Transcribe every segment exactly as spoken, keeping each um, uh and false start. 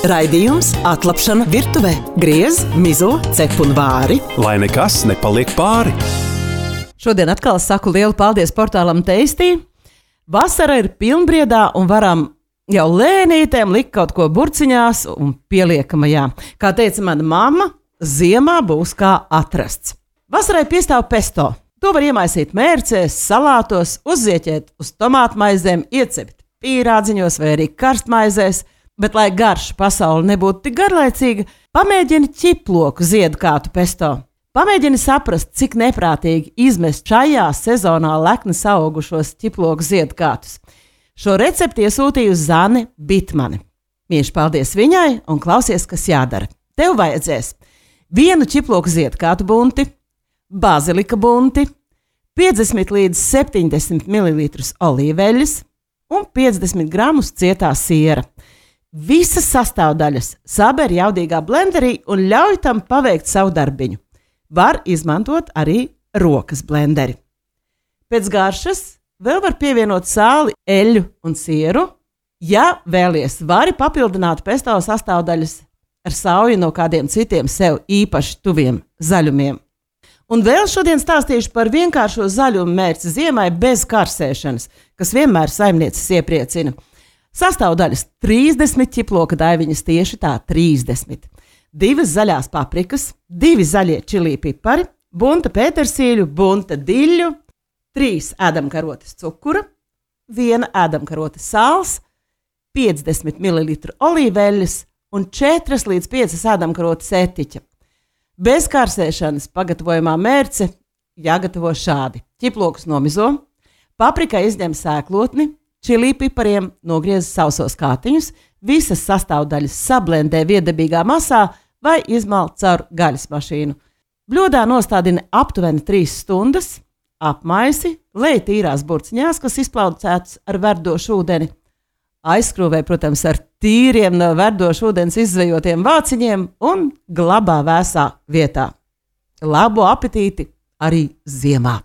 Raidījums Atlapšana virtuvē. Griez, mizo, cep un vāri. Lai nekas nepaliek pāri. Šodien atkal saku lielu paldies portālam Tasty. Vasara ir pilnbriedā un varam jau lēnītēm likt kaut ko burciņās un pieliekamajā. Kā teica mana mamma, ziemā būs kā atrasts. Vasarai piestāv pesto. To var iemaisīt mērcēs, salātos, uzzieķēt uz tomātmaizēm, iecept pīrādziņos vai arī karstmaizēs. Bet, lai garša pasaule nebūtu tik garlaicīga, pamēģini ķiploku ziedkātu pesto. Pamēģini saprast, cik neprātīgi izmest šajā sezonā lekni augušos ķiploku ziedkātus. Šo recepti iesūtīju Zane Bitmane. Mīļš paldies viņai un klausies, kas jādara. Tev vajadzēs vienu ķiploku ziedkātu bunti, bazilika bunti, piecdesmit līdz septiņdesmit mililitrus olīveļas un piecdesmit gramus cietā siera. Visas sastāvdaļas saber jaudīgā blenderī un ļauj tam paveikt savu darbiņu. Var izmantot arī rokas blenderi. Pēc garšas vēl var pievienot sāli, eļļu un sieru. Ja vēlies, vari papildināt pesto sastāvdaļas ar sauju no kādiem citiem sev īpaši tuviem zaļumiem. Un vēl šodien stāstīšu par vienkāršo zaļumu mērci ziemai bez karsēšanas, kas vienmēr saimnieces iepriecina. Sastāvdaļas trīsdesmit ķiploka daiviņas, tieši tā trīsdesmit. Divas zaļās paprikas, divi zaļie čilī pipari, bunta pētersīļu, bunta diļu, trīs ēdamkarotes cukura, viena ēdamkarote sāls, piecdesmit mililitru olīveļas un četras līdz piecas ēdamkarotes etiķa. Bez karsēšanas pagatavojumā mērce jāgatavo šādi. Ķiplokus nomizo, paprikai izņem sēklotni, čilī pipariem nogriez sausos kātiņus, visas sastāvdaļas sablendē viedabīgā masā vai izmal caur gaļas mašīnu. Bļodā nostādini aptuveni trīs stundas, apmaisi, lej tīrās burciņās, kas izplaucētas ar verdošu ūdeni. Aizskrūvē, protams, ar tīriem no verdošu ūdens izzvejotiem vāciņiem un glabā vēsā vietā. Labu apetīti arī ziemā!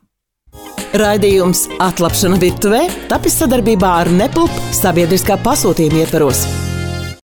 Raidījums Atlapšana virtuvē tapis sadarbībā ar Nepulp sabiedriskā pasūtījuma ietvaros.